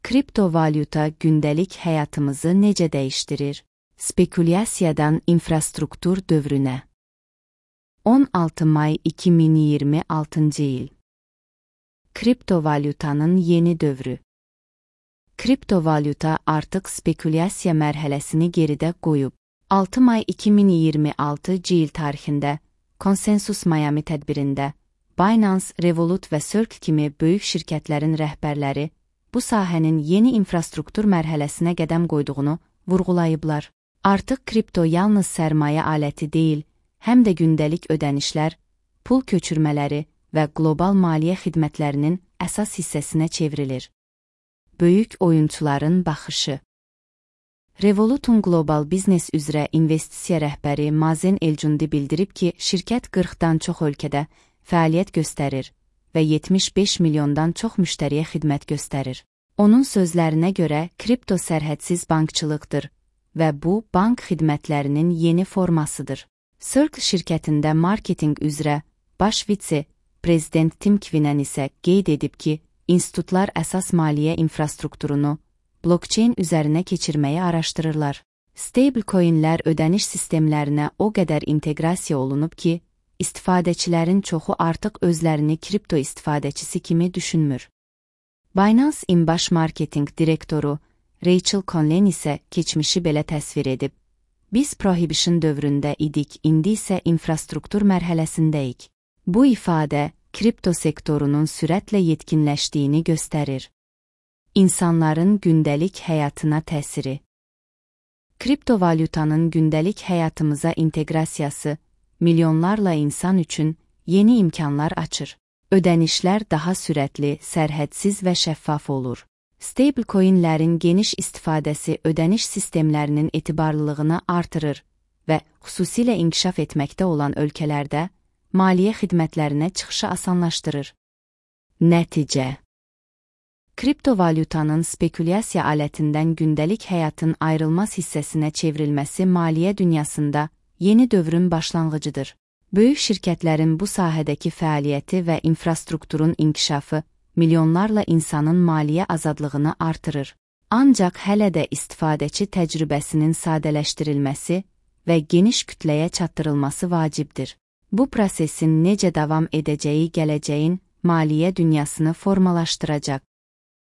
Kriptovalyuta gündəlik həyatımızı necə dəyişdirir? Spekulyasiyadan infrastruktur dövrünə. 16 may 2026 il. Kriptovalyutanın yeni dövrü. Kriptovalyuta artıq spekulyasiya mərhələsini geridə qoyub. 6 may 2026 il tarixində Consensus Miami tədbirində Binance, Revolut və Circle kimi böyük şirkətlərin rəhbərləri bu sahənin yeni infrastruktur mərhələsinə qədəm qoyduğunu vurğulayıblar. Artıq kripto yalnız sərmayə aləti deyil, həm də gündəlik ödənişlər, pul köçürmələri və qlobal maliyyə xidmətlərinin əsas hissəsinə çevrilir. Böyük oyunçuların baxışı. Revolut'un qlobal biznes üzrə investisiya rəhbəri Mazen Elcundi bildirib ki, şirkət 40-dan çox ölkədə fəaliyyət göstərir və 75 milyondan çox müştəriyə xidmət göstərir. Onun sözlərinə görə kripto sərhədsiz bankçılıqdır və bu, bank xidmətlərinin yeni formasıdır. Circle şirkətində marketinq üzrə baş vitse-prezident Tim Quinlan isə qeyd edib ki, institutlar əsas maliyyə infrastrukturunu blockchain üzərinə keçirməyi araşdırırlar. Stablecoinlər ödəniş sistemlərinə o qədər inteqrasiya olunub ki, istifadəçilərin çoxu artıq özlərini kripto istifadəçisi kimi düşünmür. Binance-in baş marketinq direktoru Rachel Conlon isə keçmişi belə təsvir edib. Biz prohibition dövründə idik, indi isə infrastruktur mərhələsindəyik. Bu ifadə kripto sektorunun sürətlə yetkinləşdiyini göstərir. İnsanların gündəlik həyatına təsiri. Kriptovalyutanın gündəlik həyatımıza inteqrasiyası milyonlarla insan üçün yeni imkanlar açır. Ödənişlər daha sürətli, sərhədsiz və şəffaf olur. Stablecoinlərin geniş istifadəsi ödəniş sistemlərinin etibarlılığını artırır və xüsusilə inkişaf etməkdə olan ölkələrdə maliyyə xidmətlərinə çıxışı asanlaşdırır. Nəticə. Kriptovalyutanın spekulyasiya alətindən gündəlik həyatın ayrılmaz hissəsinə çevrilməsi maliyyə dünyasında yeni dövrün başlanğıcıdır. Böyük şirkətlərin bu sahədəki fəaliyyəti və infrastrukturun inkişafı milyonlarla insanın maliyyə azadlığını artırır. Ancaq hələ də istifadəçi təcrübəsinin sadələşdirilməsi və geniş kütləyə çatdırılması vacibdir. Bu prosesin necə davam edəcəyi gələcəyin maliyyə dünyasını formalaşdıracaq.